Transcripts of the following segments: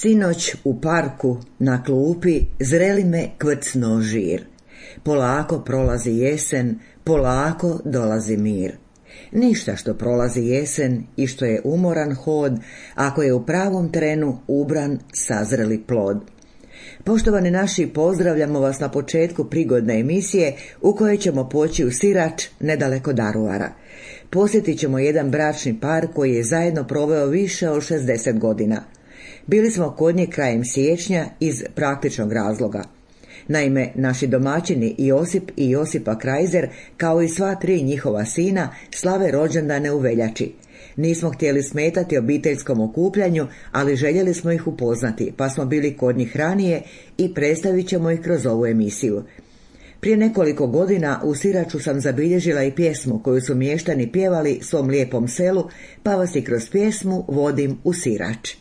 Sinoć u parku na klupi zreli me kvrcno žir. Polako prolazi jesen, polako dolazi mir. Ništa što prolazi jesen i što je umoran hod, ako je u pravom trenu ubran sazreli plod. Poštovani naši, pozdravljamo vas na početku prigodne emisije u kojoj ćemo poći u Sirač, nedaleko Daruvara. Posjetit ćemo jedan bračni par koji je zajedno proveo više od 60 godina. Bili smo kod njih krajem siječnja iz praktičnog razloga. Naime, naši domaćini Josip i Josipa Krajzer, kao i sva tri njihova sina, slave rođendane u veljači. Nismo htjeli smetati obiteljskom okupljanju, ali željeli smo ih upoznati, pa smo bili kod njih ranije i predstavit ćemo ih kroz ovu emisiju. Prije nekoliko godina u Siraču sam zabilježila i pjesmu koju su mještani pjevali svom lijepom selu, pa vas i kroz pjesmu vodim u Sirač.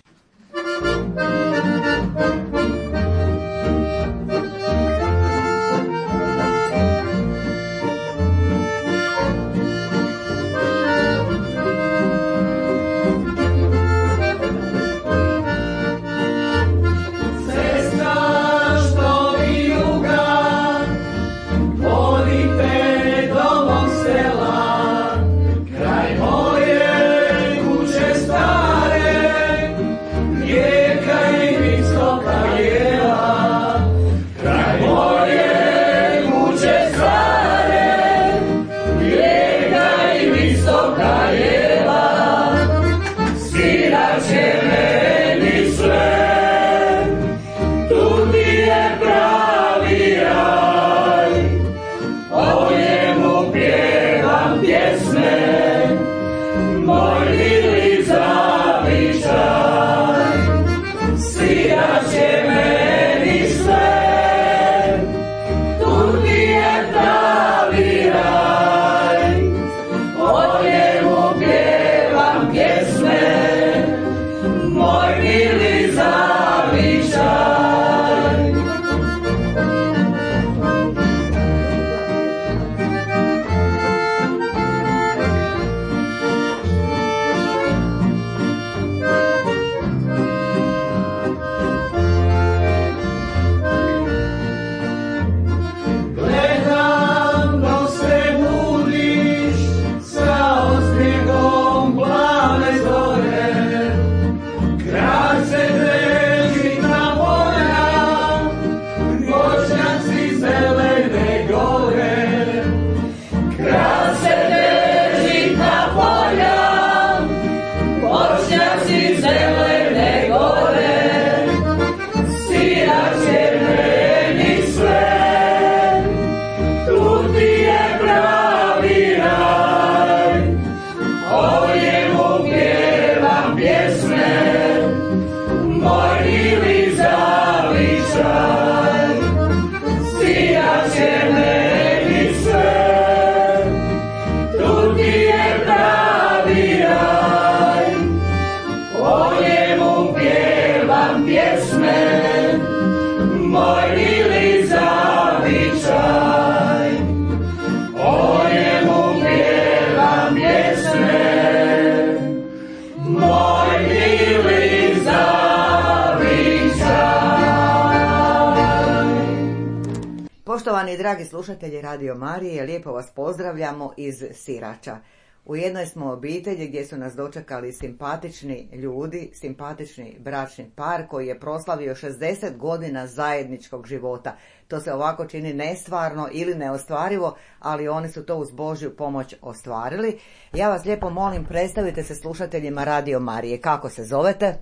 Poštovani dragi slušatelji Radio Marije, lijepo vas pozdravljamo iz Sirača. U jednoj smo obitelji gdje su nas dočekali simpatični ljudi, simpatični bračni par koji je proslavio 60 godina zajedničkog života. To se ovako čini nestvarno ili neostvarivo, ali oni su to uz Božju pomoć ostvarili. Ja vas lijepo molim, predstavite se slušateljima Radio Marije. Kako se zovete?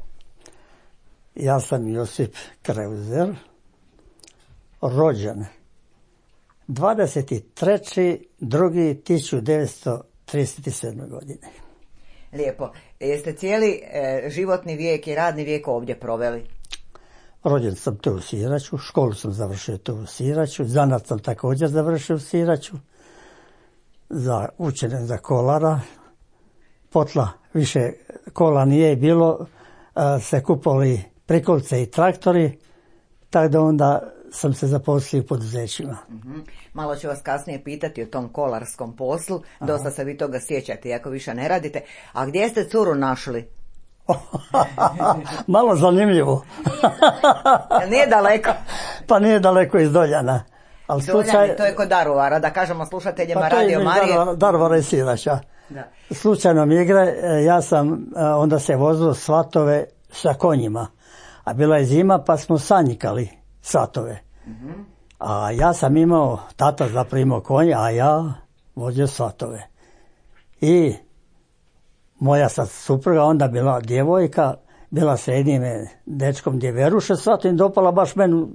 Ja sam Josip Krajzer, rođen 23.2.1937. godine. Lijepo. Jeste cijeli životni vijek i radni vijek ovdje proveli? Rođen sam tu u Siraču, školu sam završio tu u Siraču, zanat sam također završio u Siraču, učen za kolara, potla više kola nije bilo, se kupovali prikolce i traktori, tako da onda sam se zaposlio u poduzećima. Malo ću vas kasnije pitati o tom kolarskom poslu, dosta se vi toga sjećate, iako više ne radite. A gdje ste curu našli? Malo zanimljivo. Nije daleko. Pa nije daleko iz Doljana. Ali Doljani, to je kod Daruvara, da kažemo slušateljima Radio Marije. Daruvara i Sirača. Da. Slučajno mi igre, ja sam onda se vozio svatove sa konjima. A bila je zima pa smo sanjikali svatove. A ja sam imao, tata zaprimao konje, a ja vozio svatove. I moja sad supruga onda bila djevojka, bila sa jednim dečkom gdje veruše svatom i dopala baš meni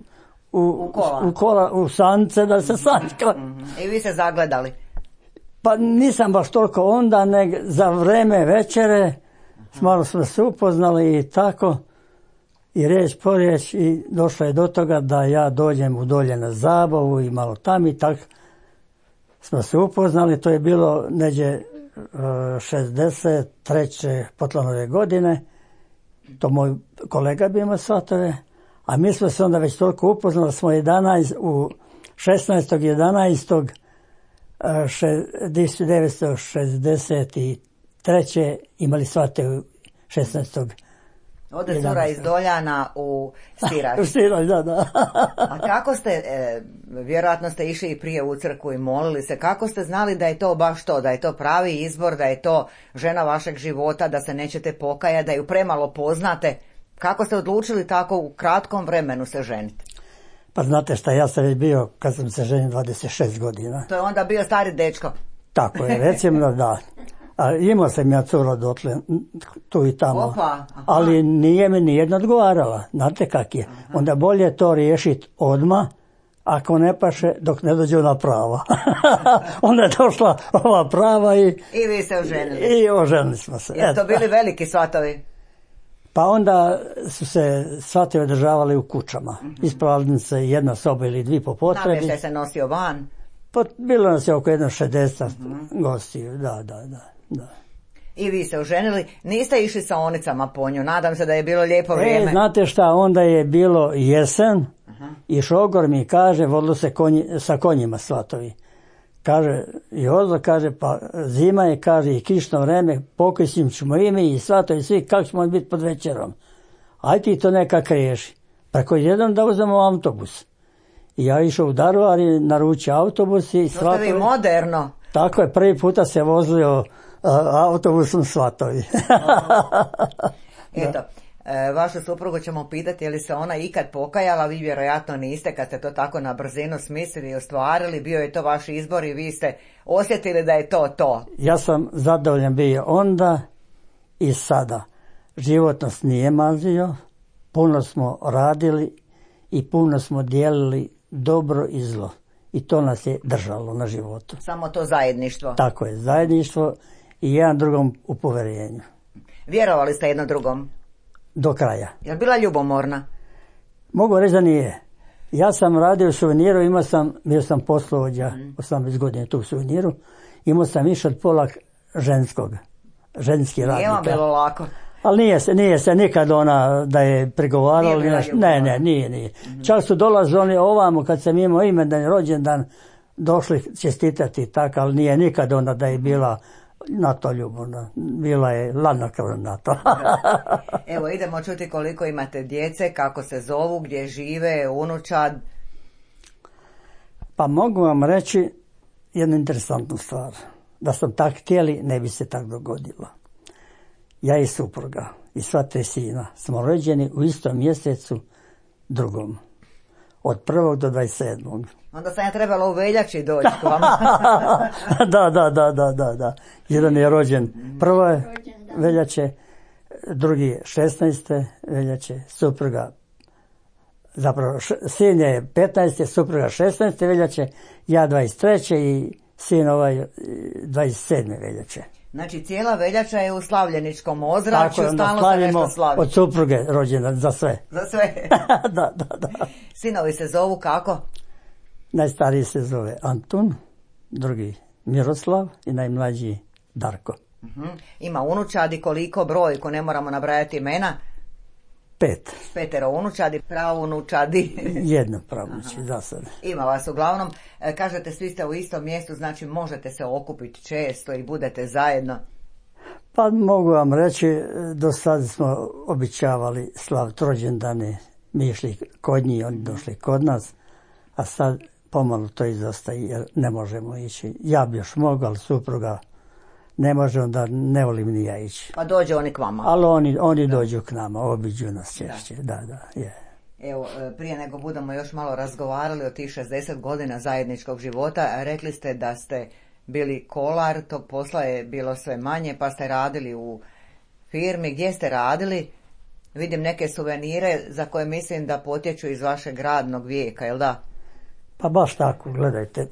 u kola, u sance da se sanjkala. I vi se zagledali? Pa nisam baš toliko onda, nego za vreme večere malo smo se upoznali i tako. I riječ po riječ i došlo je do toga da ja dođem u Dolje na zabavu i malo tam i tako smo se upoznali. To je bilo neđe 63. Potlanove godine. To moj kolega bi imao svatove. A mi smo se onda već toliko upoznali, smo 16.11.1963. imali svatove 16. Ode cura iz Doljana u Sirač. U Sirač, da. A kako ste, vjerojatno ste išli i prije u crkvu i molili se, kako ste znali da je to baš to, da je to pravi izbor, da je to žena vašeg života, da se nećete pokajati, da ju premalo poznate? Kako ste odlučili tako u kratkom vremenu se ženiti? Pa znate šta, ja sam već bio, kad sam se ženio, 26 godina. To je onda bio stari dečko. Tako je, recimo da. A imao sam ja cura dotle, tu i tamo. Opa, ali nije mi nijedna odgovarala. Znate kak je? Onda bolje to riješiti odmah, ako ne paše, dok ne dođe ona prava. Onda je došla ova prava i vi se oženili. I oženili smo se. Jesu to bili veliki svatovi? Pa onda su se svatovi održavali u kućama. Ispravljali se jedna soba ili dvije po potrebi. Namještaj se nosio van? Pa bilo nas je oko 60 gostiju, da. I vi se oženili, niste išli sa onicama po nju, nadam se da je bilo lijepo vrijeme. Znate šta, onda je bilo jesen i šogor mi kaže, vodilo se sa konjima svatovi. Kaže, Jozo kaže, pa zima je, kaže, i kišno vreme, pokojsim ćemo i mi i svatovi svi, kako ćemo biti pod večerom. Aj ti to nekak riješi. Preko jedan da uzmemo autobus. I ja išao u Daruvar i naručio autobus i svatovi. To ste vi moderno. Tako je, prvi puta se vozio autobusom svatovi. Eto, vašu suprugu ćemo pitati je li se ona ikad pokajala, vi vjerojatno niste kad ste to tako na brzinu smislili i ostvarili, bio je to vaš izbor i vi ste osjetili da je to. Ja sam zadovoljan bio onda i sada. Život nas nije mazio, puno smo radili i puno smo dijelili dobro i zlo. I to nas je držalo na životu. Samo to zajedništvo. Tako je, zajedništvo i jedan drugom u poverenju. Vjerovali ste jedno drugom? Do kraja. Je li bila ljubomorna? Mogu reći da nije. Ja sam radio u suveniru, bio sam poslovođa 18 godina tu u suveniru, imao sam više od pola ženski radnika. Nije vam bilo lako? Ali nije se nikad ona da je pregovarala. Ne, nije. Čak su dolazili oni ovamo kad sam imao imendan rođendan, došli čestitati tako, ali nije nikad ona da je bila na to ljubavna. Bila je ladnokrvna na to. Evo, idemo čuti koliko imate djece, kako se zovu, gdje žive, unučad. Pa mogu vam reći jednu interesantnu stvar. Da sam tak htjeli, ne bi se tak dogodilo. Ja i supruga i sva tri sina smo rođeni u istom mjesecu drugom. Od 1. do 27. Onda sam ja trebala u veljači doći k vama. Da. Jedan je rođen 1. veljače, drugi 16. veljače, supruga, zapravo sin je 15. supruga 16. veljače, ja 23. i sin 27. veljače. Znači cijela veljača je u slavljeničkom ozračju, stalno se nešto slavi. Od supruge rođena za sve. Za sve. Da. Sinovi se zovu kako? Najstariji se zove Antun, drugi Miroslav i najmlađi Darko. Ima unučadi, koliko brojku, ne moramo nabrajati imena? 5. 5 unučadi, pravunučadi. Jedno pravunuči, za sad. Ima vas uglavnom. Kažete, svi ste u istom mjestu, znači možete se okupiti često i budete zajedno. Pa mogu vam reći, do sada smo običavali slaviti rođendane, mi išli kod njih, oni došli kod nas, a sad pomalo to izostaje jer ne možemo ići. Ja bi još mogao, ali supruga ne može, onda ne volim ni ja ići. Pa dođe oni k vama. Ali oni dođu k nama, obiđu nas češće, da, je. Evo, prije nego budemo još malo razgovarali o tih 60 godina zajedničkog života, rekli ste da ste bili kolar, tog posla je bilo sve manje, pa ste radili u firmi. Gdje ste radili? Vidim neke suvenire za koje mislim da potječu iz vašeg radnog vijeka, jel da? Pa baš tako, gledajte.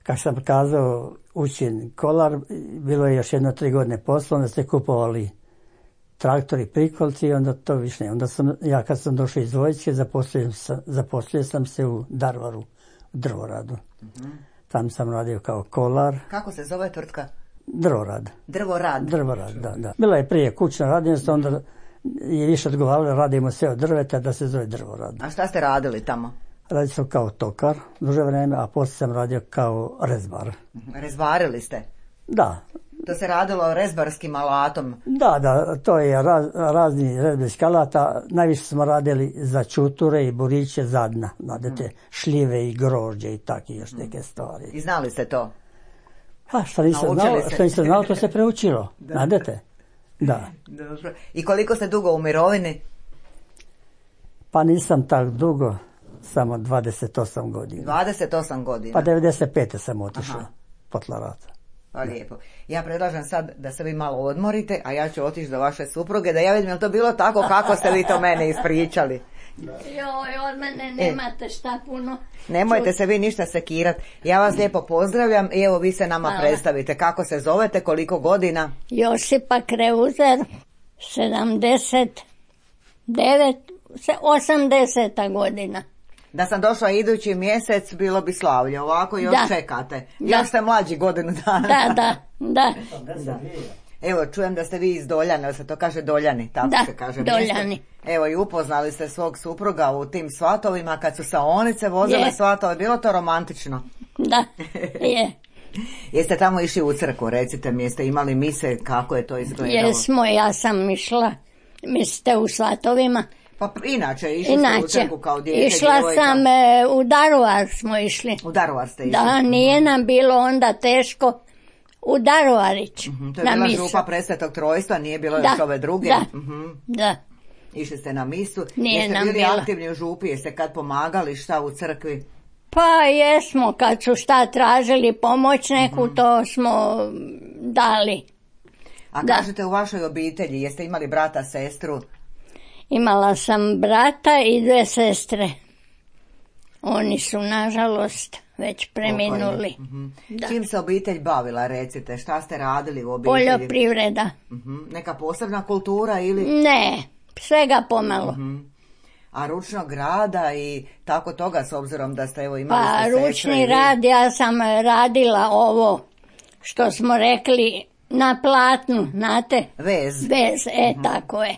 Kako sam kazao, učen kolar, bilo je još 1-3 godine posla, onda ste kupovali traktori, prikolci i onda to više ne. Onda ja kad sam došao iz vojske, zaposlio sam se u Daruvaru, u Drvoradu. Tam sam radio kao kolar. Kako se zove tvrtka? Drvorad. Drvorad, da. Bila je prije kućna radionica, onda je više odgovaralo, radimo sve od drveta, da se zove Drvorad. A šta ste radili tamo? Radio sam kao tokar duže vreme, a poslije sam radio kao rezbar. Rezbarili ste? Da. To se radilo rezbarskim alatom? Da, to je razni rezbarski alata. Najviše smo radili za čuture i buriće zadna, znate, šljive i grožđe i takve još neke stvari. I znali ste to? Pa što nisam znao, to se preučilo, znate? Da. Dobro. I koliko ste dugo u mirovini? Pa nisam tak dugo, samo 28 godina. 28 godina? Pa 95. sam otišao, potla rata. Pa lijepo. Ja predlažem sad da se vi malo odmorite, a ja ću otići do vaše supruge, da ja vidim je li to bilo tako kako ste vi to mene ispričali. Joj, od mene nemate šta puno. Nemojte se vi ništa sekirati. Ja vas lijepo pozdravljam i evo vi se nama predstavite. Kako se zovete, koliko godina? Josipa Kreuzer, 80. godina. Da sam došla idući mjesec, bilo bi slavlje. Ovako još čekate. Još ste mlađi godinu dana. Da. Evo, čujem da ste vi iz Doljana, da se to kaže Doljani, tako se kaže. Doljani. Evo, i upoznali ste svog supruga u tim svatovima, kad su saonice vozile svatove, bilo to romantično? Da, je. Jeste tamo išli u crkvu, recite mi, jeste imali mise, kako je to izgledalo? Jesmo, ja sam išla, mislite u svatovima? Pa inače, išli ste u crkvu kao dijete, išla sam, u Daruvar smo išli. U Daruvar ste išli? Da, nije nam bilo onda teško. U Daruvarić. To je bila župa Presvetog Trojstva, nije bilo još ove druge? Da. Išli ste na misu. Nije jeste nam bili bila. Aktivni u župi, jeste kad pomagali šta u crkvi? Pa jesmo, kad su šta tražili pomoć neku, to smo dali. A kažete u vašoj obitelji, jeste imali brata, sestru? Imala sam brata i 2 sestre. Oni su, nažalost, već preminuli. Čim se obitelj bavila, recite? Šta ste radili u obitelji? Poljoprivreda. Neka posebna kultura ili? Ne, svega pomalo. A ručnog rada i tako toga, s obzirom da ste imali ste sestre? Pa ručni rad, ja sam radila ovo što smo rekli na platnu, znate? Vez, tako je.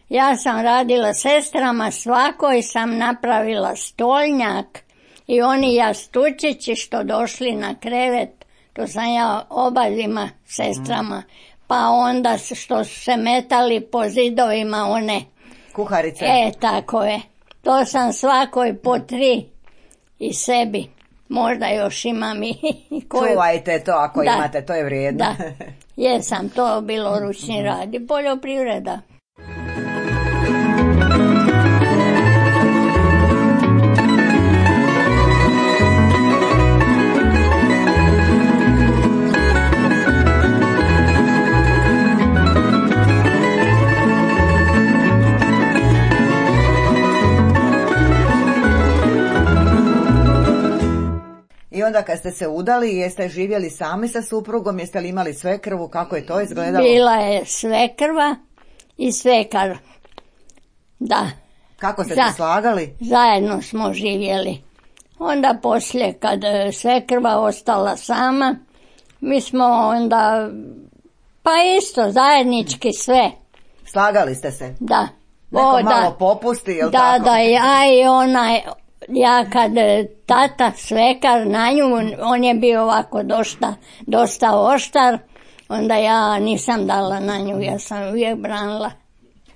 Ja sam radila sestrama, svakoj sam napravila stolnjak i oni jastučići što došli na krevet, to sam ja obadvima sestrama, pa onda što su se metali po zidovima one kuharice. Tako je. To sam svakoj po 3 i sebi. Možda još imam i koju. Čuvajte to ako imate, to je vrijedno. Da, jesam, to bilo ručni rad i poljoprivreda. I onda kad ste se udali, jeste živjeli sami sa suprugom, jeste li imali svekrvu, kako je to izgledalo? Bila je svekrva i svekar, da. Kako ste se slagali? Zajedno smo živjeli. Onda poslije, kad svekrva ostala sama, mi smo onda, pa isto, zajednički sve. Slagali ste se? Da. Neko malo popusti, jel tako? Da, ja kad tata svekar na nju, on je bio ovako dosta oštar, onda ja nisam dala na nju, ja sam uvijek branila.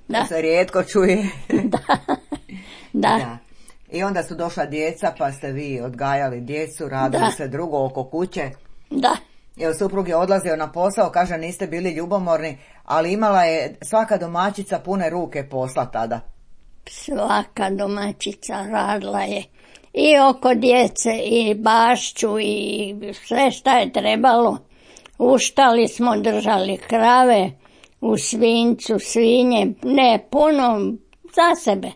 Da. To se rijetko čuje. Da. I onda su došla djeca, pa ste vi odgajali djecu, radili se drugo oko kuće. Da. Evo, suprug je odlazio na posao, kaže niste bili ljubomorni, ali imala je svaka domaćica pune ruke posla tada. Svaka domaćica radila je i oko djece i bašću i sve šta je trebalo. Uštali smo, držali krave, u svinjcu, svinje, ne puno za sebe.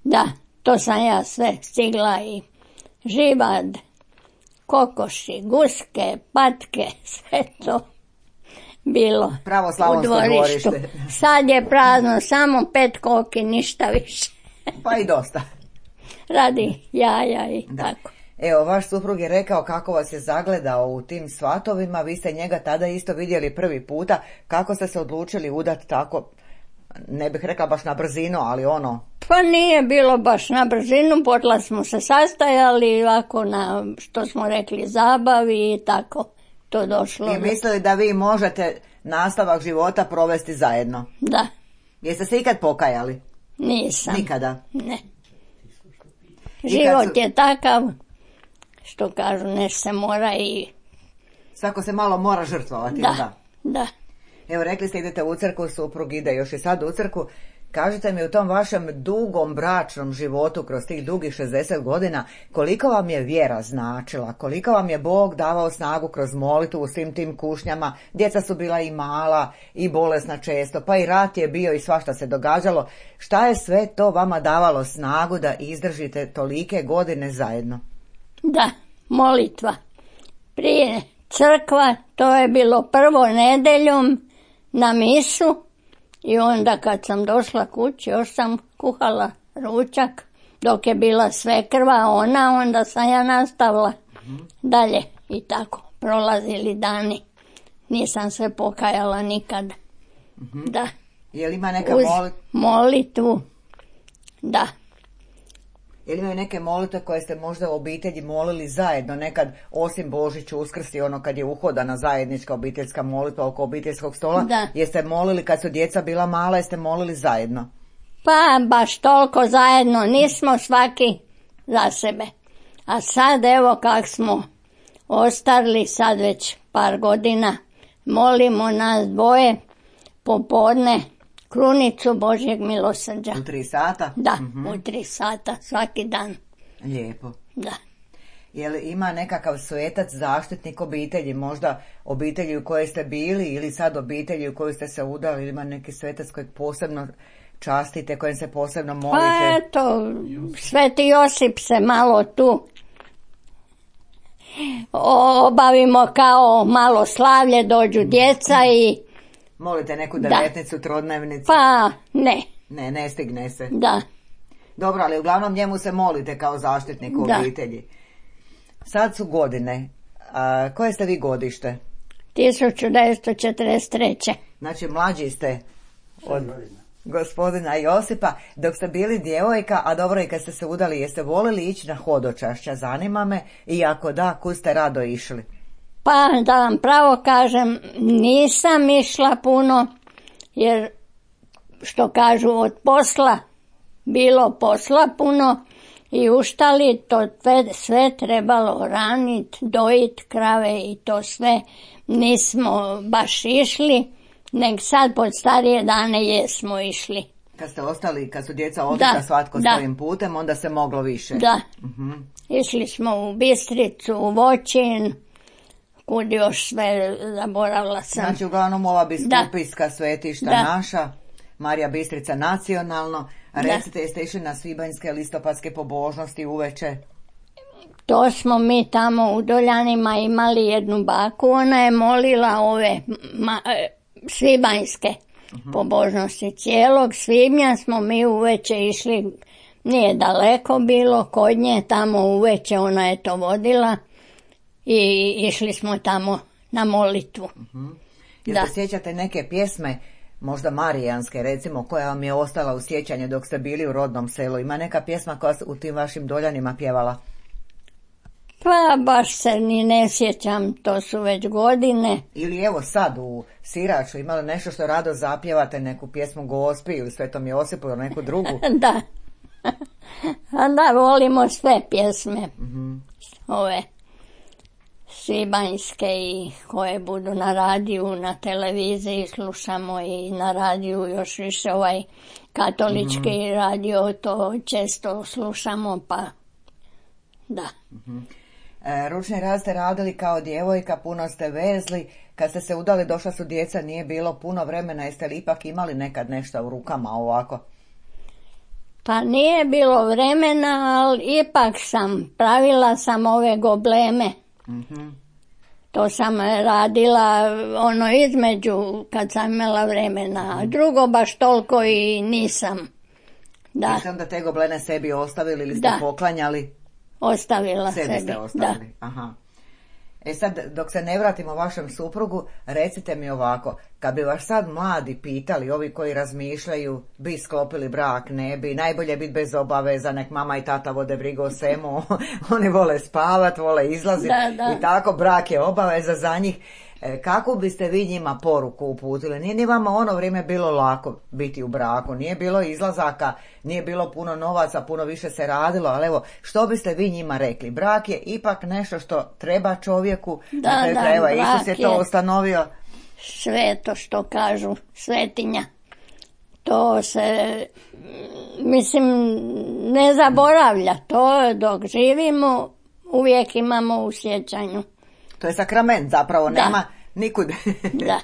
Da, to sam ja sve stigla i živad, kokoši, guske, patke, sve to bilo Pravo slavonsko u dvorištu. dvorište. Sad je prazno, samo 5 koki, ništa više. Pa i dosta. Radi jaja i tako. Evo, vaš suprug je rekao kako vas je zagledao u tim svatovima, vi ste njega tada isto vidjeli prvi puta, kako ste se odlučili udati tako, ne bih rekla baš na brzinu, ali ono... Pa nije bilo baš na brzinu, potla smo se sastajali ovako na, što smo rekli, zabavi i tako to došlo. I mislili da vi možete nastavak života provesti zajedno? Da. Jeste se ikad pokajali? Nisam. Nikada? Ne. Život je takav, što kažu, nešto se mora i... Svako se malo mora žrtvovati, Da. Evo, rekli ste idete u crkvu, suprug ide još i sad u crkvu. Kažite mi u tom vašem dugom bračnom životu kroz tih dugih 60 godina, koliko vam je vjera značila, koliko vam je Bog davao snagu kroz molitvu u svim tim kušnjama, djeca su bila i mala i bolesna često, pa i rat je bio i svašta se događalo. Šta je sve to vama davalo snagu da izdržite tolike godine zajedno? Da, molitva. Prije crkva, to je bilo prvo nedeljom na misu i onda kad sam došla kući, još sam kuhala ručak, dok je bila svekrva ona, onda sam ja nastavila dalje i tako, prolazili dani. Nisam se pokajala nikad. Da. Je li ima neka molitvu, da. Je li imaju neke molitve koje ste možda u obitelji molili zajedno, nekad osim Božić, Uskrs i ono kad je uhodana zajednička obiteljska molitva oko obiteljskog stola? Da. Jeste molili kad su djeca bila mala, jeste molili zajedno? Pa baš toliko zajedno, nismo svaki za sebe. A sad evo kak smo ostarili, sad već par godina, molimo nas dvoje popodne krunicu Božjeg milosrđa. U 3 sata? Da, u 3 sata svaki dan. Lijepo. Da. Je li ima nekakav svetac, zaštitnik obitelji, možda obitelji u kojoj ste bili ili sad obitelji u kojoj ste se udali, ili ima neki svetac kojeg posebno častite, kojem se posebno molite? Pa eto, Sveti Josip se malo tu obavimo kao malo slavlje, dođu djeca i... Molite neku devetnicu, trodnevnicu? Pa ne. Ne stigne se. Da. Dobro, ali uglavnom njemu se molite kao zaštitnik obitelji. Sad su godine. Koje ste vi godište? 1943. Znači mlađi ste od gospodina Josipa. Dok ste bili djevojka, a dobro i kad ste se udali, jeste volili ići na hodočašća? Zanima me, i ako da, kud ste rado išli? Pa da vam pravo kažem, nisam išla puno, jer što kažu od posla, bilo posla puno i uštali, to sve trebalo ranit, dojit krave i to sve. Nismo baš išli, nek sad pod starije dane jesmo išli. Kad ste ostali, kad su djeca otišla svatko svojim putem, onda se moglo više. Da. Išli smo u Bistricu, u Voćin, kud još sve zaboravila sam. Znači uglavnom ova biskupijska svetišta naša, Marija Bistrica nacionalno. Recite, jeste išli na svibanjske listopadske pobožnosti uveče? To smo mi tamo u Doljanima imali jednu baku, ona je molila ove svibanjske pobožnosti. Cijelog svibnja smo mi uveče išli, nije daleko bilo kod nje, tamo uveče ona je to vodila i išli smo tamo na molitvu. Jel se sjećate neke pjesme, možda marijanske recimo, koja vam je ostala u sjećanju dok ste bili u rodnom selu? Ima neka pjesma koja u tim vašim Doljanima pjevala? Pa baš se ni ne sjećam, to su već godine. Ili evo sad u Siraču imali nešto što rado zapjevate, neku pjesmu Gospi ili Svetom Josipu ili neku drugu? Da. A da, volimo sve pjesme. Ove svibanjske i koje budu na radiju, na televiziji slušamo i na radiju još više katolički radio, to često slušamo, pa da. Ručni rad ste radili kao djevojka, puno ste vezli, kad ste se udali došla su djeca, nije bilo puno vremena, jeste li ipak imali nekad nešto u rukama ovako? Pa nije bilo vremena, ali ipak pravila sam ove gobleme. To sam radila između kad sam imala vremena, a drugo baš toliko i nisam. Da. Jeste onda te goblene sebi ostavili ili ste poklanjali? Ostavila sebi. Ste ostavili, aha. Sad, dok se ne vratimo vašem suprugu, recite mi ovako, kad bi vas sad mladi pitali, ovi koji razmišljaju, bi sklopili brak, ne bi, najbolje biti bez obaveza, nek mama i tata vode brigu o svemu, oni vole spavat, vole izlaziti i tako, brak je obaveza za njih. Kako biste vi njima poruku uputili? Nije ni vama ono vrijeme bilo lako biti u braku, nije bilo izlazaka, nije bilo puno novaca, puno više se radilo, ali evo, što biste vi njima rekli? Brak je ipak nešto što treba čovjeku, evo, Isus je to ustanovio. Sve to što kažu, svetinja. To se, mislim, ne zaboravlja. To dok živimo, uvijek imamo u sjećanju. To je sakrament zapravo, nema nikud. Da.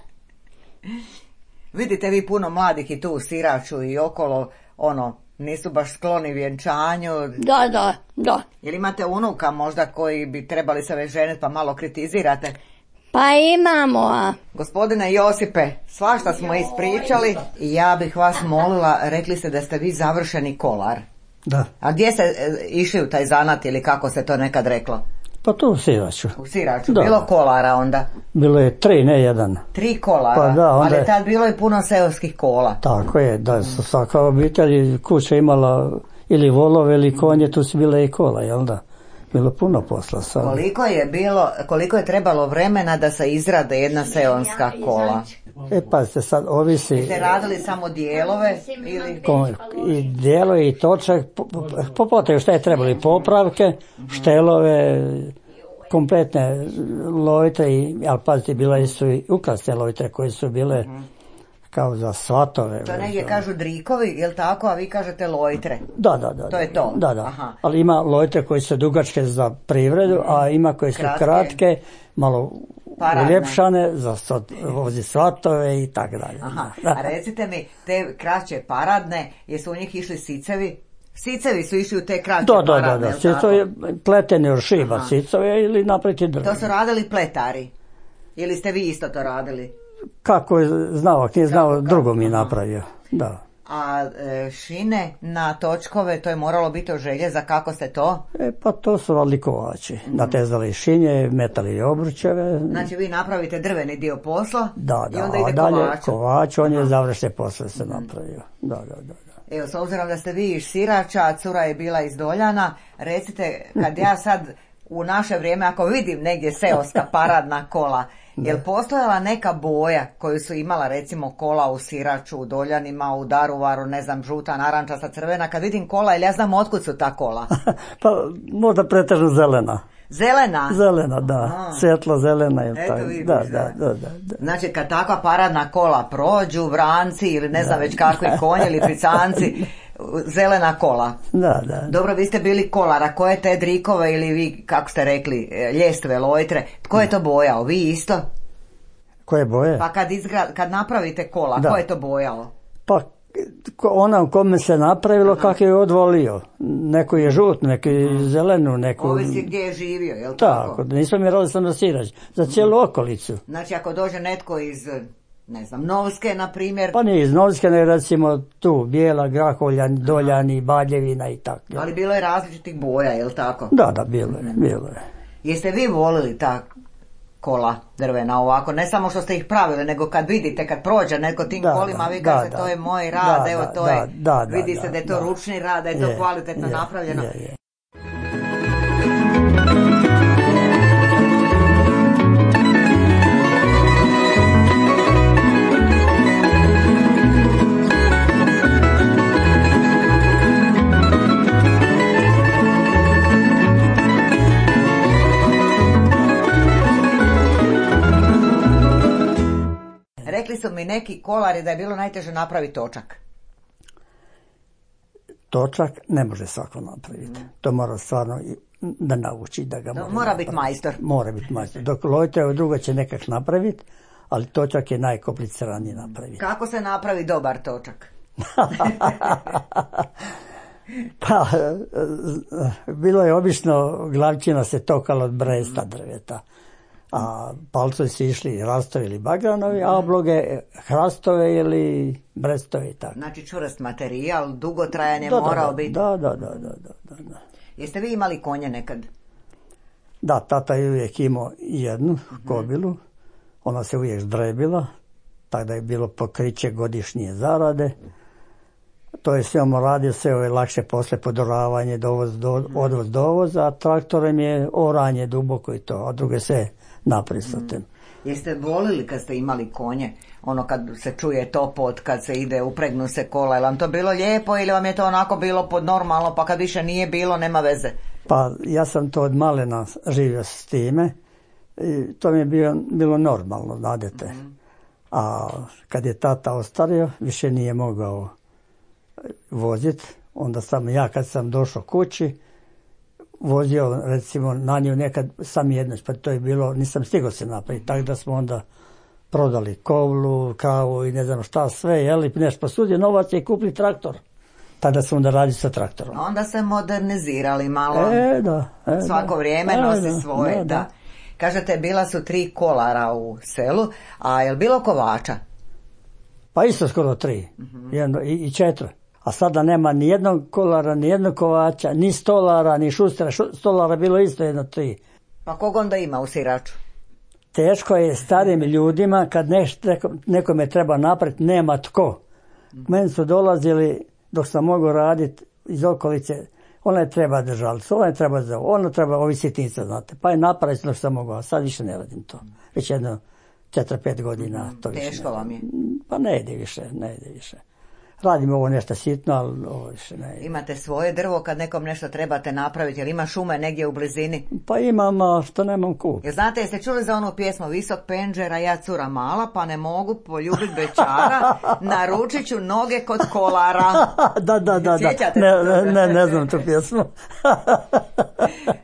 Vidite vi puno mladih i tu u Siraču i okolo, nisu baš skloni vjenčanju. Da. Ili imate unuka možda koji bi trebali se već ženiti pa malo kritizirate? Pa imamo, Gospodine Josipe, svašta smo ispričali i ja bih vas molila, rekli ste da ste vi završeni kolar. Da. A gdje ste išli u taj zanat ili kako se to nekad reklo? Pa tu u Siraču. U Siraču, bilo kolara onda? Bilo je 3, ne 1. 3 kolara, pa da, onda ali tad bilo je puno seoskih kola. Tako je, da su svaka obitelj kuća imala ili volove ili konje, tu su bile i kola, jel da? Bilo puno posla sad. Koliko je trebalo vremena da se izrade jedna seonska kola? Pazite, sad ovisi... Ste radili samo dijelove ili... I dijelove i točak, popotaju šta je trebali, popravke, štelove, kompletne lojtre, ali pazite, bila su i ukrasne lojtre koje su bile kao za svatove. To negdje kažu drikovi, jel tako, a vi kažete lojtre? Da. To je to? Da. Aha. Ali ima lojtre koje su dugačke za privredu, a ima koje su kratke, malo uljepšane za vozi svatove i tako dalje. Aha. A recite mi, te kraće paradne, jesu u njih išli sicevi? Sicevi su išli u te kraće paradne, da. Sicevi je pleteni od šiba, sicove ili napraviti drvene. To su radili pletari? Ili ste vi isto to radili? Kako je znao, ako nije znao, drugo mi je napravio, da. A šine na točkove, to je moralo biti od željeza, kako ste to? Pa to su radili kovači, natezali šinje, metali obručeve. Znači vi napravite drveni dio posla da, i onda ide dalje kovač, on je završne posle se napravio, da. Evo, s obzirom da ste vi iz Sirača, a cura je bila iz Doljana, recite, kad ja sad u naše vrijeme, ako vidim negdje seoska paradna kola, jel postojala neka boja koju su imala recimo kola u Siraču, u Doljanima, u Daruvaru, ne znam, žuta, narančasta, crvena, kad vidim kola, jel ja znam otkud su ta kola? Pa možda pretežno zelena. Zelena? Zelena, da. Svjetlo zelena. Eto vidiš, da. Znači kad takva paradna kola prođu, vranci ili ne znam već kakvi konji ili picanci, zelena kola. Da. Dobro, vi ste bili kolara, koje te drikove ili vi, kako ste rekli, ljestve, lojtre, tko je to bojao? Vi isto? Koje boje? Pa kad napravite kola, ko je to bojao? Pa onam kome se napravilo, kako je odvolio. Neko je žut, neko je zelenu, neko... Ovisi gdje je živio, jel tako? Tako, nismo mi radili sam na Sirač, za cijelu okolicu. Znači ako dođe netko iz, ne znam, Novske, na primjer... Pa nije iz Novske, ne recimo tu, Bijela, Grahovljan, Doljani, Baljevina i tako. Ali bilo je različitih boja, jel tako? Da, bilo je. Jeste vi volili ta kola drvena ovako, ne samo što ste ih pravili, nego kad vidite, kad prođe neko tim kolima, vi kažete to je moj rad, evo to je, vidi se da je to ručni rad, da je to kvalitetno napravljeno. neki kolari da je bilo najteže napraviti točak? Točak ne može svako napraviti. To mora stvarno da nauči da ga mora biti majstor. Mora biti majstor. Dok lojte drugo će nekak napraviti, ali točak je najkompliciraniji napraviti. Kako se napravi dobar točak? Pa, bilo je obično glavčina se tokala od bresta drveta, a palcovi su išli rastovi ili bagranovi, a obloge hrastove ili brestove i tako. Znači čvrst materijal, dugotrajan je morao biti. Da. Jeste vi imali konje nekad? Da, tata je uvijek imao jednu kobilu, ona se uvijek zdrebila, tako da je bilo pokriće godišnje zarade. To je sve radio, sve je lakše posle podoravanje, odvoz dovoz, a traktorem je oranje duboko i to, a druge sve naprisatem. Jeste volili kad ste imali konje, ono kad se čuje topot, kad se ide, upregnu se kola, je vam to bilo lijepo ili vam je to onako bilo pod normalno, pa kad više nije bilo, nema veze? Pa ja sam to od malena živio s time i to mi je bilo normalno, znadete. A kad je tata ostario, više nije mogao voziti, onda sam ja kad sam došao kući, vozio recimo na nju nekad sam jednoć, pa to je bilo, nisam stigao se napraviti, tako da smo onda prodali kovlu, kravu i ne znam šta sve, jeli, nešto posudio novac i kupili traktor. Tada smo onda radili sa traktorom. Onda se modernizirali malo. Svako vrijeme nosi svoje, da. Kažete, bila su 3 kolara u selu, a je li bilo kovača? Pa isto skoro 3, i 4. A sada nema ni jednog kolara, ni jednog kovača, ni stolara, ni šustera. Stolara bilo isto 1-3. Pa kog onda ima u Siraču? Teško je starijim ljudima kad nekome treba napraviti, nema tko. Meni su dolazili dok sam mogao raditi iz okolice, ona je treba držalicu, ona je treba za ovo, ona treba ovi sitnica, znate. Pa je napraviti dok sam mogao, a sad više ne radim to. Već jedno 4-5 godina. To teško vam je? Pa ne ide više. Radim ovo nešto sitno, ali ovo više ne. Imate svoje drvo kad nekom nešto trebate napraviti, ili ima šume negdje u blizini? Pa imam, a što nemam kup. Jer znate, jeste čuli za onu pjesmu Visok penđer, a ja cura mala, pa ne mogu poljubit bećara, naručit ću noge kod kolara. Da. Sjećate? Ne znam tu pjesmu.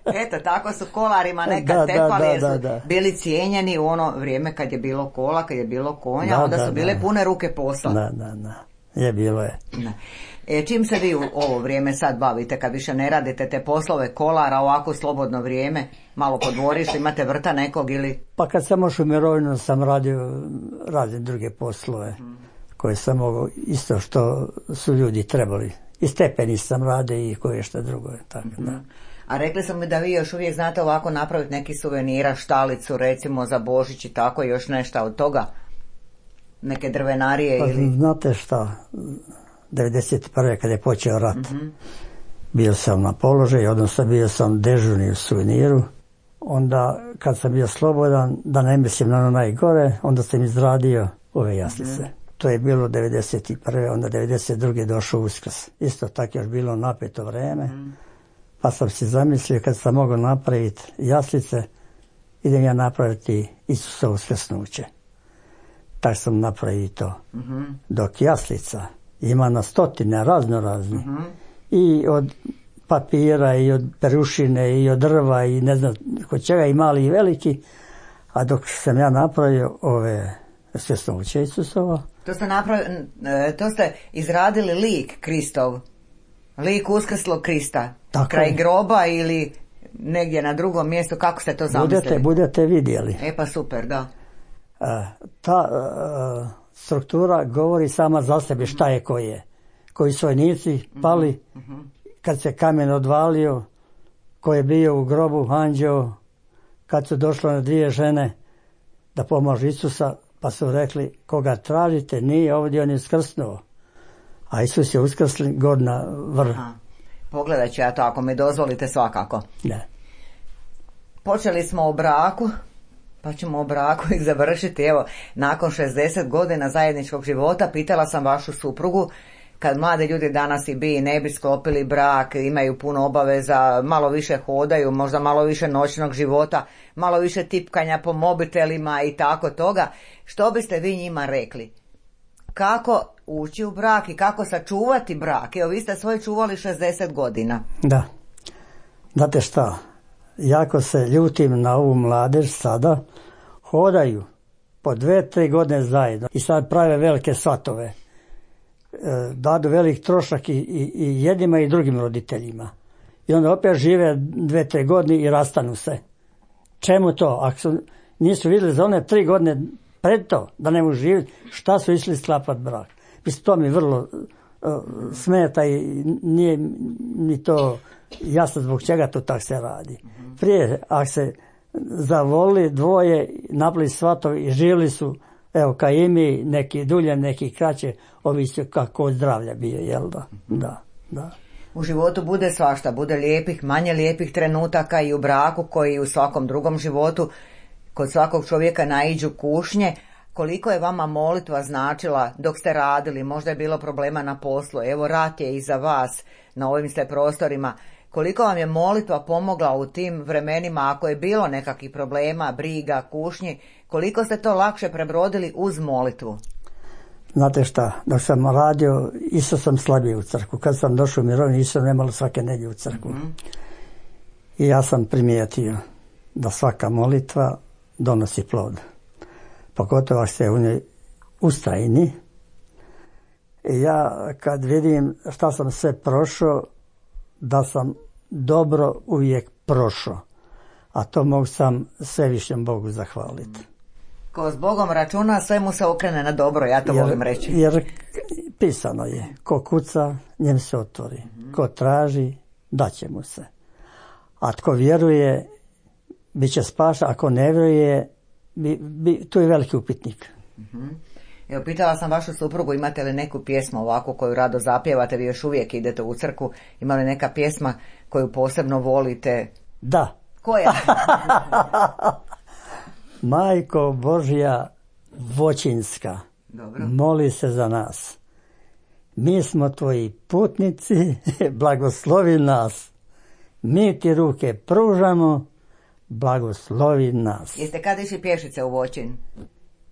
Eto, tako su kolarima nekad tepali, jer su bili cijenjeni u ono vrijeme kad je bilo kola, kad je bilo konja, onda su bile pune ruke posla. Da. Je, bilo je. Čim se vi u ovo vrijeme sad bavite, kad više ne radite te poslove kolara, ovako slobodno vrijeme, malo po dvorištu, imate vrta nekog ili? Pa kad sam ošao u mirovinu sam radio druge poslove koje sam mogao, isto što su ljudi trebali. I stepeni sam radio i koje što drugo je. Tako, da. A rekli sam mi da vi još uvijek znate ovako napraviti neki suvenira, štalicu recimo za Božić i tako, još nešto od toga? Neke drvenarije pa, ili? Znate šta, 1991. kad je počeo rat, bio sam na položaju, odnosno bio sam dežurni u suveniru. Onda kad sam bio slobodan, da ne mislim na ono najgore, onda sam izradio ove jaslice. To je bilo 1991. onda 1992. došao Uskrs. Isto tako još bilo napeto vrijeme, pa sam si zamislio kad sam mogao napraviti jaslice, idem ja napraviti Isusa uskrsnuće. Tako sam napravio to. Dok jaslica ima na stotine raznorazni. I od papira, i od perušine, i od drva, i ne znam kod čega, i mali i veliki. A dok sam ja napravio ove uskrsnuće Isusova. To ste izradili lik Kristov. Lik uskrslog Krista. Tako kraj je. Groba ili negdje na drugom mjestu. Kako ste to zamislili? Budete vidjeli. Pa super, da. Ta struktura govori sama za sebe šta je ko je. Koji su vojnici pali, kad se kamen odvalio, ko je bio u grobu anđeo, kad su došle na 2 žene da pomažu Isusa, pa su rekli, koga tražite, nije ovdje, on je uskrsnuo. A Isus je uskrsli god na vrh. Pogledat ću ja to, ako mi dozvolite, svakako. Ne. Počeli smo o braku, pa ćemo o braku i završiti. Evo, nakon 60 godina zajedničkog života, pitala sam vašu suprugu, kad mladi ljudi danas i ne bi sklopili brak, imaju puno obaveza, malo više hodaju, možda malo više noćnog života, malo više tipkanja po mobitelima i tako toga, što biste vi njima rekli? kako ući u brak i kako sačuvati brak. Evo, vi ste svoje čuvali 60 godina. Da. Znate šta, jako se ljutim na ovu mladež sada, hodaju po 2-3 godine zajedno i sad prave velike svatove. Dadu velik trošak i jednima i drugim roditeljima. I onda opet žive 2-3 godine i rastanu se. Čemu to? Ako nisu vidjeli za one 3 godine pred to, da ne mogu živjeti, šta su išli sklapati brak? Mislim, to mi vrlo smeta i nije mi to jasno zbog čega to tako se radi. Prije, ako se zavoli dvoje, napravili svatovi i živjeli su, evo, kao i mi, neki dulje, neki kraće, ovisi kako zdravlja bio, jel da? Da. U životu bude svašta, bude lijepih, manje lijepih trenutaka i u braku koji i u svakom drugom životu. Kod svakog čovjeka naiđu kušnje. Koliko je vama molitva značila dok ste radili? Možda je bilo problema na poslu. Evo, rat je iza vas, na ovim ste prostorima. Koliko vam je molitva pomogla u tim vremenima, ako je bilo nekakvih problema, briga, kušnji, koliko ste to lakše prebrodili uz molitvu? Znate šta, dok sam radio, isto sam slabio u crkvu. Kad sam došao u mirovinu, isto nemalo svake nedjelje u crkvu. I ja sam primijetio da svaka molitva donosi plod. Pogotovo ako ste u njoj ustrajni. I ja kad vidim šta sam sve prošao, da sam dobro uvijek prošao. A to mogu sam svevišnjem Bogu zahvaliti. Ko s Bogom računa, sve mu se okrene na dobro, ja to volim reći. Jer pisano je, ko kuca, njem se otvori. Ko traži, daće mu se. A tko vjeruje, bit će spašen. Ako ne vjeruje, tu je veliki upitnik. Evo, pitala sam vašu suprugu, imate li neku pjesmu ovako koju rado zapjevate, vi još uvijek idete u crkvu, ima li neka pjesma koju posebno volite? Da. Koja? Majko Božja Voćinska, dobro, moli se za nas. Mi smo tvoji putnici, blagoslovi nas. Mi ti ruke pružamo, blagoslovi nas. Jeste kad išli pješice u Voćin?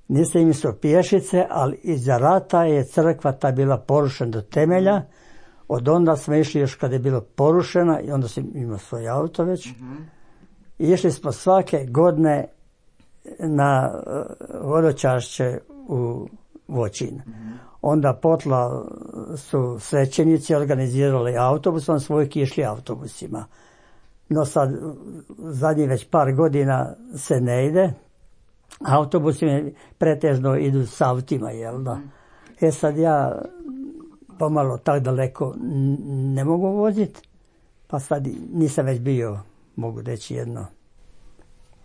Nisam im su pješice, ali iza rata je crkva ta bila porušena do temelja. Od onda smo išli još kad je bilo porušena i onda sam imao svoj auto već. I išli smo svake godine na vodočašće u Voćin. Onda potla su svećenici organizirali autobusom, svojki išli autobusima. No sad, zadnjih već par godina se ne ide. Autobusi pretežno idu s autima, jel da? Sad ja pomalo tak daleko ne mogu voziti, pa sad nisam već bio, mogu reći jedno,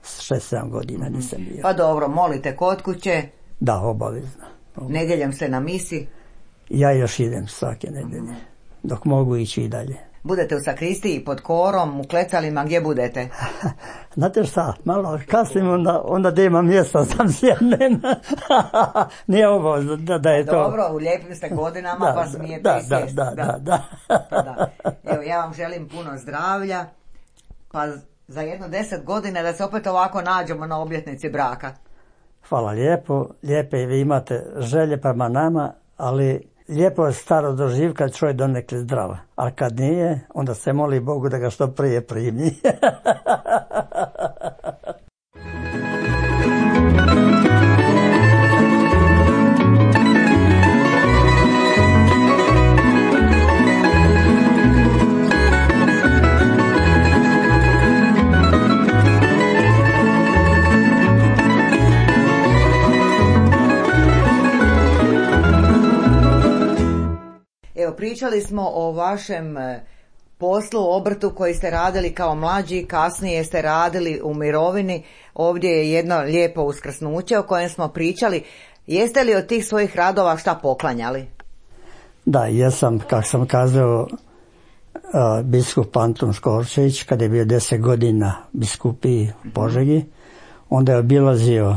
6-7 godina nisam bio. Pa dobro, molite kod kuće? Da, obavezno. Nedjeljom ste na misi? Ja još idem svake nedjelje, dok mogu ići i dalje. Budete u sakristiji, pod korom, u klecalima, gdje budete? Znate šta, malo kasnim, onda da imam mjesta, sam sjednem. Nije obavezno da je to. Dobro, u lijepim ste godinama, pa smijete i sjesti. Da. Evo, ja vam želim puno zdravlja, pa za jedno 10 godina da se opet ovako nađemo na obljetnici braka. Hvala lijepo, lijepe vi imate želje prema nama, ali lijepo je staro doživ kad čovjek donekle zdrava, a kad nije, onda se moli Bogu da ga što prije primi. Pričali smo o vašem poslu, obrtu koji ste radili kao mlađi, kasnije ste radili u mirovini. Ovdje je jedno lijepo uskrsnuće o kojem smo pričali. Jeste li od tih svojih radova šta poklanjali? Da, jesam, kako sam kazao, biskup Antun Škorčević, kada je bio 10 godina biskupiji u Požegi, onda je obilazio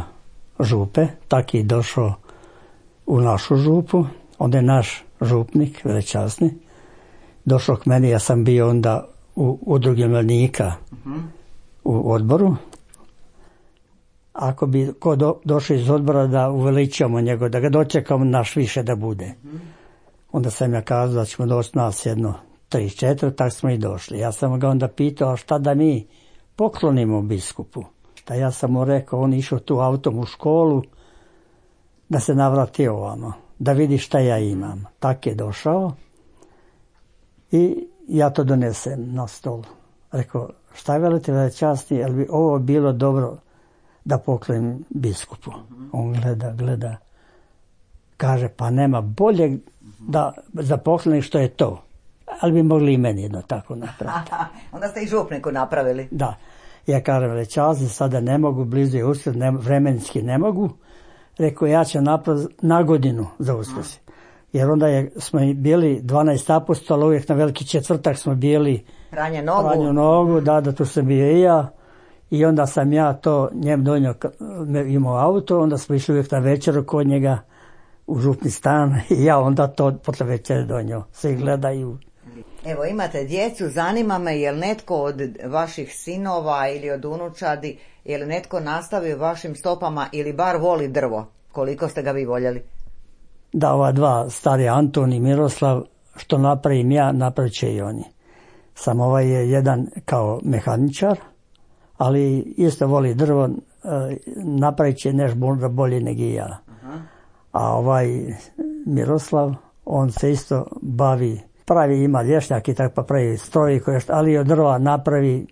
župe, tak je došao u našu župu, onda je naš župnik, velečasni, došao k meni, ja sam bio onda u udrugi mladnika u odboru ako bi došao iz odbora da uveličamo njega, da ga dočekamo naš više da bude. Onda sam ja kazao da ćemo doći nas jedno 3-4, tako smo i došli. Ja sam ga onda pitao, a šta da mi poklonimo biskupu? Da ja sam mu rekao, on išao tu autom u školu, da se navrati ovamo, da vidi šta ja imam. Tak je došao i ja to donesem na stol. Rekao, šta je velite velečasni, jel bi ovo bilo dobro da poklonim biskupu? On gleda, kaže, pa nema bolje da za pokloni što je to. Ali bi mogli i meni jedno tako napraviti. Onda ste i župniku napravili. Da. Ja kažem, velečasni, sada ne mogu, blizu je Uskrs, vremenski ne mogu. Rekao, ja ću napraviti na godinu za Uskrs. Jer onda smo bili 12 apostola, uvijek na Veliki četvrtak smo bili Pranje nogu, da, tu sam bio i ja. I onda sam ja to njem donio, imao auto, onda smo išli uvijek na večeru kod njega u župni stan i ja onda to posle večere donio. Svi gledaju. Evo, imate djecu, zanima me je li netko od vaših sinova ili od unučadi, je li netko nastavio vašim stopama ili bar voli drvo? Koliko ste ga vi voljeli? Da, ova dva stari, Anton i Miroslav, što napravim ja, napravit će i oni. Sam ovaj je jedan kao mehaničar, ali isto voli drvo, napravit će nešto bolje nego i ja. A ovaj Miroslav, on se isto bavi, ima lješnjak i tako pa pravi stroji, ali od drva napravi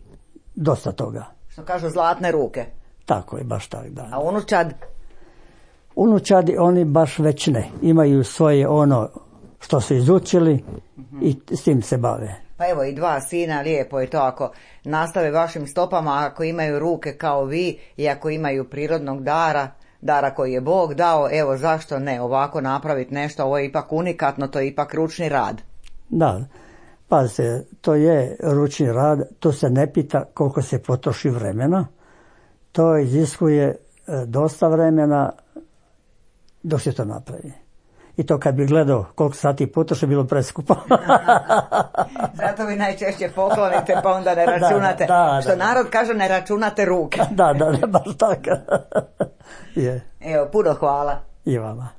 dosta toga. Što kažu, zlatne ruke. Tako je, baš tako, da. A unučad? Unučadi oni baš već ne. Imaju svoje ono što su izučili i s tim se bave. Pa evo i dva sina, lijepo je to ako nastave vašim stopama, ako imaju ruke kao vi i ako imaju prirodnog dara koji je Bog dao, evo zašto ne ovako napraviti nešto, ovo je ipak unikatno, to je ipak ručni rad. Da, pazite, to je ručni rad, to se ne pita koliko se potroši vremena, to iziskuje dosta vremena dok se to napravi. I to kad bi gledao koliko sati potroši, bilo preskupo. Zato vi najčešće poklonite pa onda ne računate. Što narod kaže, ne računate ruke. Da, baš tako. Je. Evo, puno hvala. I vama.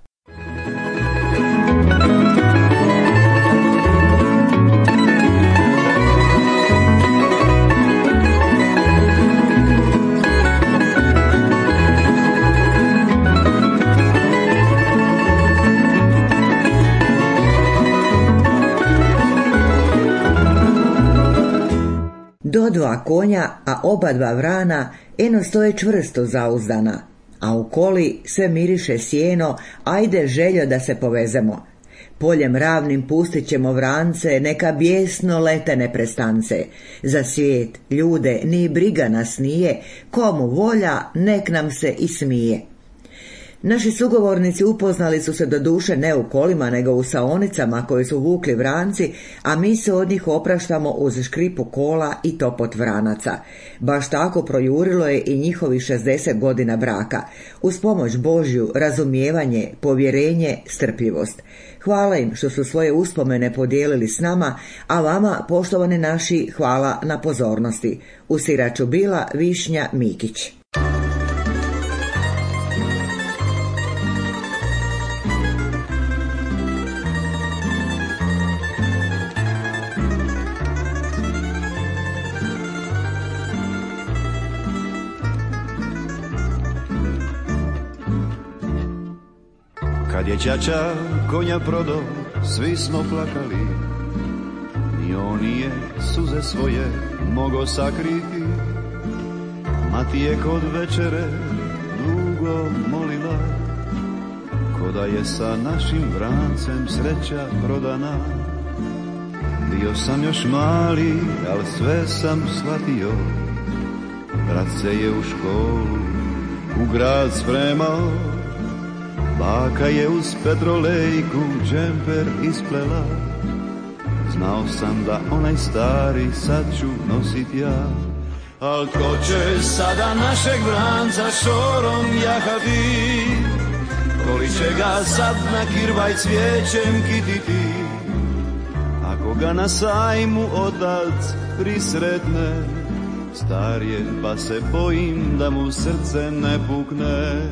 Do dva konja, a oba dva vrana, eno stoje čvrsto zauzdana, a u koli sve miriše sjeno, ajde željo da se povezemo. Poljem ravnim pustit ćemo vrance, neka bijesno lete neprestance. Za svijet, ljude, ni briga nas nije, komu volja, nek nam se i smije. Naši sugovornici upoznali su se doduše ne u kolima, nego u saonicama koje su vukli vranci, a mi se od njih opraštamo uz škripu kola i topot vranaca. Baš tako projurilo je i njihovi 60 godina braka. Uz pomoć Božju, razumijevanje, povjerenje, strpljivost. Hvala im što su svoje uspomene podijelili s nama, a vama, poštovani naši, hvala na pozornosti. U Siraču bila Višnja Mikić. Kad je ćaća konja prodao, svi smo plakali, i on nije suze svoje mogo sakriti. Mati je kod večere dugo molila, ko da je sa našim vrancem sreća prodana. Bio sam još mali, al sve sam shvatio, brat se je u školu, u grad spremao. Baka je uz petrolejku džemper isplela, znao sam da onaj stari sad ću nosit ja. Al ko će sada našeg vranca šorom jahati, koli će ga sad na kirvaj cvijećem kititi. Ako ga na sajmu otac prisretne, star je pa se bojim da mu srce ne pukne.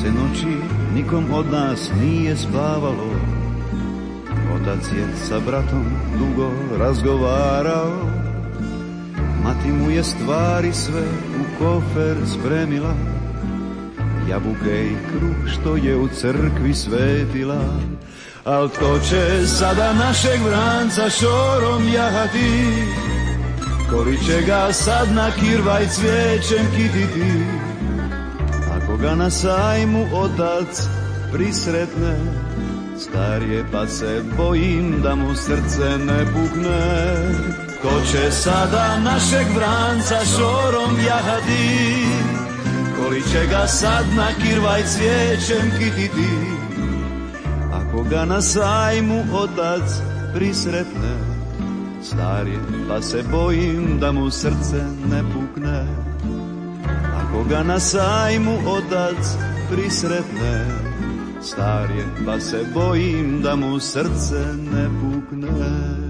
Noći nikom od nas nije spavalo, otac je sa bratom dugo razgovarao, mati mu je stvari sve u kofer spremila, jabuke i kruh što je u crkvi svetila. Al tko će sada našeg vranca šorom jahati, kori će ga sad na kirvaj cvijećem kititi, ako ga na sajmu otac prisretne, star je pa se bojim da mu srce ne pukne. Ko će sada našeg vranca šorom jahati, koli će ga sad na kirvaj cvijećem kititi, ako ga na sajmu otac prisretne, star je pa se bojim da mu srce ne pukne. Ako ga na sajmu otac prisretne, star je pa se bojim da mu srce ne pukne.